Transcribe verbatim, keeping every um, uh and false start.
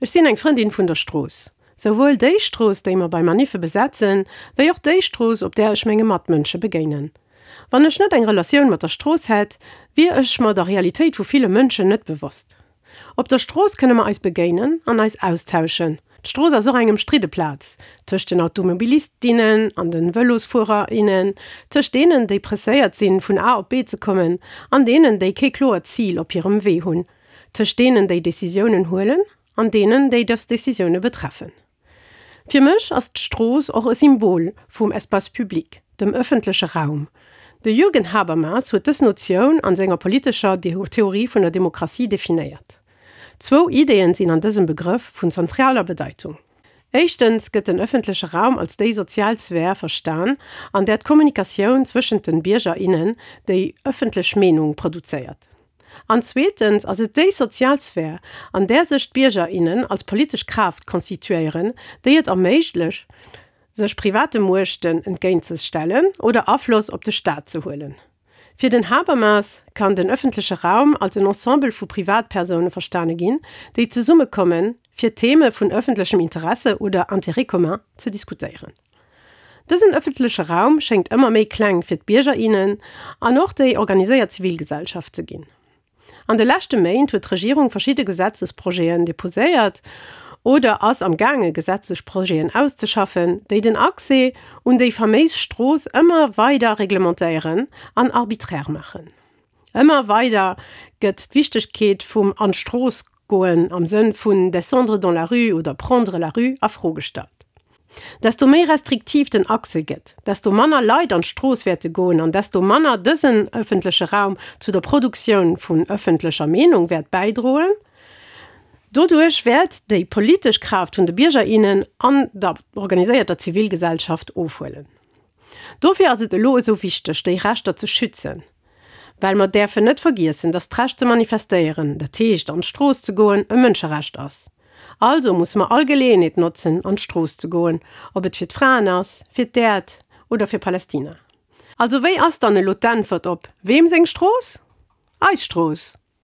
Ech sinn eng Frëndin vun der Strooss. Souwuel déi Strooss, déi mer bei Maniffe besetzen, wéi och déi Strooss, op där ech menge Matmënsche begéinen. Wann ech net eng Relatioun mat der Strooss hätt, wier ech mer der Realitéit vu ville Mënschen net bewosst. Op der Strooss kënne mer eis begéinen an eis austauschen. D'Strooss ass och eng ëmstridde Plaz, tëscht den Automobilist, innen an den Vëlosfuerer, innen, tëscht deenen, déi presséiert sinn, vun A op B ze kommen, an deenen, déi kee kloert Zil op hirem Wee hunn, tëscht deenen, déi Decisiounen huelen, an deenen, déi dës Decisioune betreffen. Fir mech ass d'Strooss och e Symbol vum Espace public, dem ëffentleche Raum. De Jürgen Habermas huet dës Notioun an senger politescher Theorie vun der Demokratie definéiert. Zwou Ideeën sinn an dësem Begrëff vun zentraler Bedeitung. Éischtens gëtt den ëffentleche Raum als déi sozial Sphär verstan, an där d'Kommunikatioun zwëschent den Bierger, innen déi ëffentlech Meenung produzéiert. An zweetens ass et déi sozial Sphär, an där sech d'Bierger, innen als politesch Kraaft konstituéieren, déi et erméiglecht, sech private Muechten entgéintzestellen oder Afloss op de Staat ze huelen. Fir den Habermas kann den ëffentleche Raum als en Ensemble vu Privatpersoune verstane ginn, déi zesummekommen, fir Theme vun ëffentlechem Interesse oder Intérêt commun ze diskutéieren. Dësen ëffentleche Raum schéngt ëmmer méi kleng fir d'Bierger, innen an och déi organiséiert Zivilgesellschaft ze ginn. An de leschte Méint huet d'Regierung verschidde Gesetzesprojeten deposéiert oder ass am gaange Gesetzesprojeten auszeschaffen, déi den Accès un déi faméis Strooss ëmmer weider reglementéieren an arbiträr maachen. Ëmmer weider gëtt d'Wichtegkeet vum an d'Strooss goen am Sënn vun descendre dans la rue oder prendre la rue a Fro gestallt. Desto méi restriktiv den Accès gëtt, desto manner Leit an d'Strooss wäerte goen an desto manner dësen ëffentleche Raum zu der Produktioun vun ëffentlecher Meenung wäert bäidroen. Doduerch wäert déi politesch Kraaft vun de Bierger, innen an der organiséierter Zivilgesellschaft ofhuelen. Dofir ass et elo esou wichteg, déi Rechter ze schützen. Well mer däerfen net vergiessen, datt d'Recht ze manifestéieren, dat heescht an d'Strooss ze goen, e Mënscherecht ass. Also musse mer all Geleeënheet notzen, an d'Strooss ze goen, ob et fir d'Fraen ass, fir d'Äerd oder fir Palästina. Also wéi ass dann elo d'Äntwert op weem seng Strooss? Eis Strooss!